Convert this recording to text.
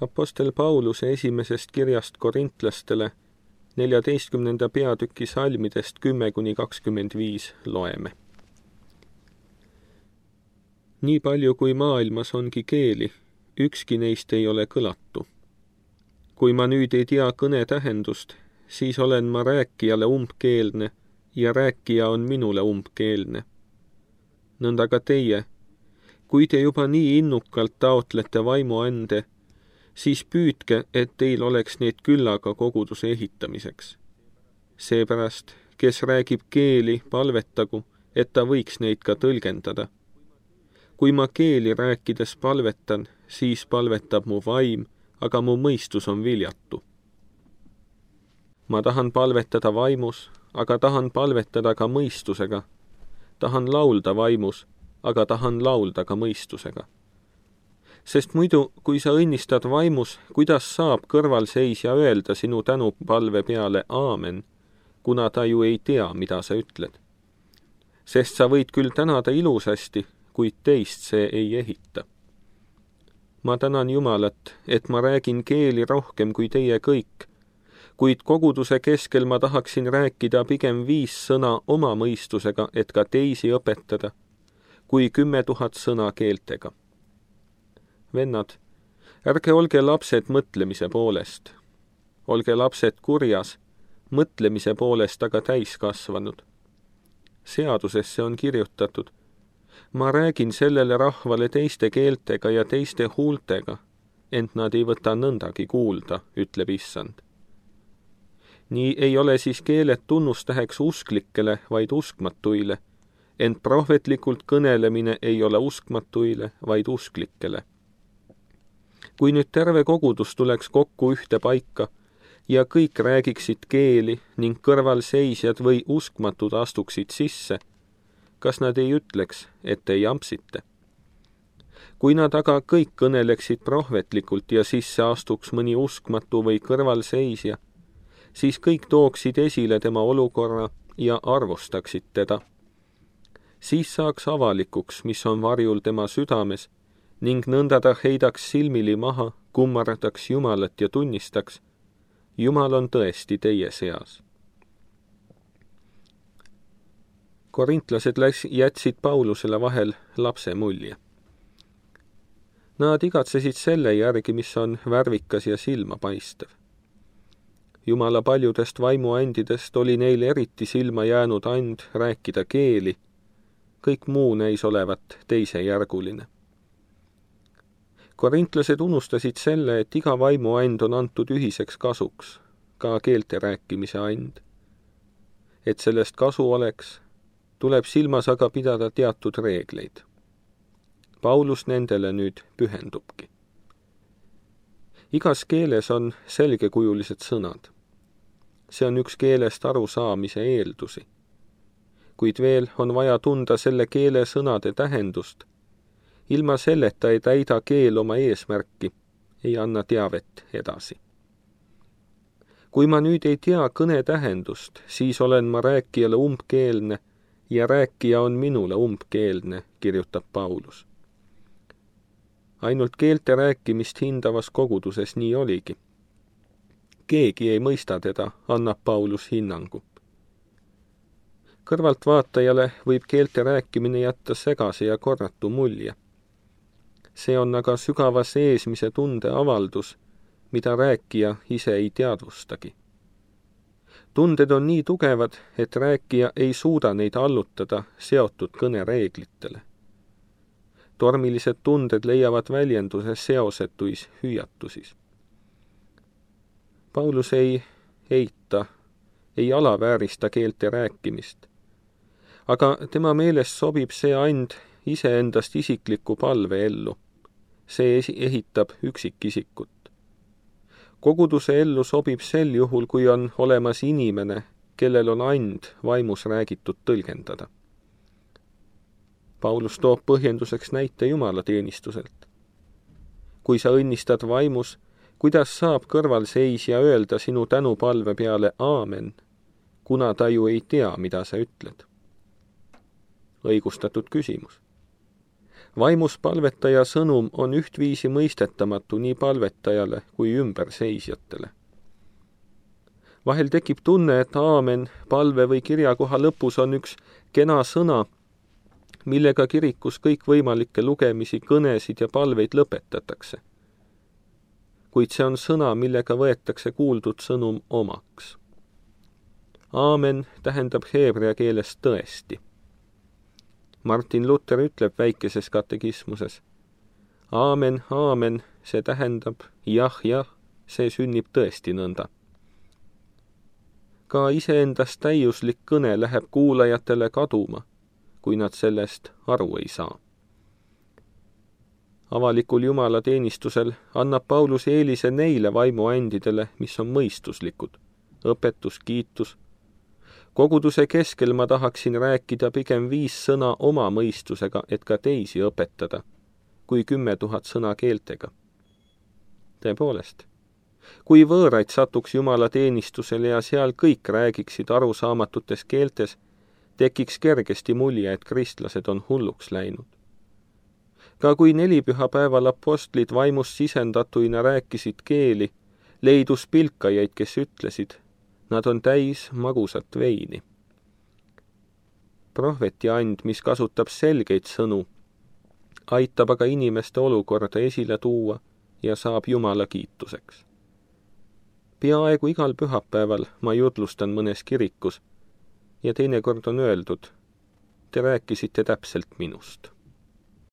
Apostel Pauluse esimesest kirjast korintlastele 14. peatüki salmidest 10–25 loeme. Nii palju kui maailmas ongi keeli, ükski neist ei ole kõlatu. Kui ma nüüd ei tea kõne tähendust, siis olen ma rääkijale umbkeelne ja rääkija on minule umbkeelne. Nõnda ka teie, kui te juba nii innukalt taotlete vaimuande, siis püüdke, et teil oleks neid küllaga koguduse ehitamiseks. Seepärast, kes räägib keeli, palvetagu, et ta võiks neid ka tõlgendada. Kui ma keeli rääkides palvetan, siis palvetab mu vaim, aga mu mõistus on viljatu. Ma tahan palvetada vaimus, aga tahan palvetada ka mõistusega. Tahan laulda vaimus, aga tahan laulda ka mõistusega. Sest muidu, kui sa õnnistad vaimus, kuidas saab kõrvalseisja öelda sinu tänupalve peale aamen, kuna ta ju ei tea, mida sa ütled. Sest sa võid küll tänada ilusasti, kuid teist see ei ehita. Ma tänan Jumalat, et ma räägin keeli rohkem kui teie kõik, kuid koguduse keskel ma tahaksin rääkida pigem 5 sõna oma mõistusega, et ka teisi õpetada, kui 10 000 sõna keeltega. Vennad, ärge olge lapsed mõtlemise poolest. Olge lapsed kurjas, mõtlemise poolest aga täiskasvanud. Seadusesse on kirjutatud, ma räägin sellele rahvale teiste keeltega ja teiste huultega, ent nad ei võta nõndagi kuulda, ütleb Issand. Nii ei ole siis keeled tunnustäheks usklikele, vaid uskmatuile, ent prohvetlikult kõnelemine ei ole uskmatuile, vaid usklikele. Kui nüüd terve kogudus tuleks kokku ühte paika ja kõik räägiksid keeli ning kõrvalseisjad või uskmatud astuksid sisse, kas nad ei ütleks, et te jampsite? Kui nad aga kõik kõneleksid prohvetlikult ja sisse astuks mõni uskmatu või kõrvalseisja, siis kõik tooksid esile tema olukorra ja arvustaksid teda. Siis saaks avalikuks, mis on varjul tema südames, ning nõnda ta heidaks silmili maha, kummardaks Jumalat ja tunnistaks, Jumal on tõesti teie seas. Korintlased jätsid Paulusele vahel lapse mulje. Nad igatsesid selle järgi, mis on värvikas ja silmapaistev. Jumala paljudest vaimuandidest oli neil eriti silma jäänud and rääkida keeli, kõik muu näis olevat teisejärguline. Korintlased unustasid selle, et iga vaimuand on antud ühiseks kasuks, ka keelte rääkimise and. Et sellest kasu oleks, tuleb silmas aga pidada teatud reegleid. Paulus nendele nüüd pühendubki. Igas keeles on selgekujulised sõnad. See on üks keelest arusaamise eeldusi. Kuid veel on vaja tunda selle keele sõnade tähendust. Ilma selleta ei täida keel oma eesmärki, ei anna teavet edasi. Kui ma nüüd ei tea kõne tähendust, siis olen ma rääkijale umbkeelne ja rääkija on minule umbkeelne, kirjutab Paulus. Ainult keelte rääkimist hindavas koguduses nii oligi. Keegi ei mõista teda, annab Paulus hinnangu. Kõrvaltvaatajale võib keelte rääkimine jätta segase ja korratu mulje. See on aga sügava seesmise tunde avaldus, mida rääkija ise ei teadvustagi. Tunded on nii tugevad, et rääkija ei suuda neid allutada seotud kõnereeglitele. Tormilised tunded leiavad väljenduse seosetuis hüüatusis. Paulus ei eita, ei alaväärista keelte rääkimist, aga tema meelest sobib see and iseendast isikliku palve ellu. See ehitab üksikisikut. Koguduse ellu sobib sel juhul, kui on olemas inimene, kellel on and vaimus räägitud tõlgendada. Paulus toob põhjenduseks näite jumalateenistuselt. Kui sa õnnistad vaimus, kuidas saab kõrvalseisja öelda sinu tänupalve peale aamen, kuna ta ju ei tea, mida sa ütled? Õigustatud küsimus. Vaimus palvetaja sõnum on ühtviisi mõistetamatu nii palvetajale kui ümberseisjatele. Vahel tekib tunne, et aamen palve või kirjakoha lõpus on üks kena sõna, millega kirikus kõikvõimalikke lugemisi, kõnesid ja palveid lõpetatakse. Kuid see on sõna, millega võetakse kuuldud sõnum omaks. Aamen tähendab heebrea keeles tõesti. Martin Luther ütleb väikeses katekismuses: aamen, aamen, see tähendab jah, see sünnib tõesti nõnda. Ka iseendast täiuslik kõne läheb kuulajatele kaduma, kui nad sellest aru ei saa. Avalikul Jumala teenistusel annab Paulus eelise neile vaimuandidele, mis on mõistuslikud, õpetus, kiitus. Koguduse keskel ma tahaksin rääkida pigem 5 sõna oma mõistusega, et ka teisi õpetada, kui 10 000 sõna keeltega. Tõepoolest, kui võõraid satuks Jumala teenistusele ja seal kõik räägiksid arusaamatutes keeltes, tekiks kergesti mulje, et kristlased on hulluks läinud. Ka kui 4 pühapäeval apostlid vaimust sisendatuina rääkisid keeli, leidus pilkajaid, kes ütlesid: nad on täis magusat veini. Prohvetiand, mis kasutab selgeid sõnu, aitab aga inimeste olukorda esile tuua ja saab Jumala kiituseks. Peaaegu igal pühapäeval ma jutlustan mõnes kirikus ja teinekord on öeldud: te rääkisite täpselt minust.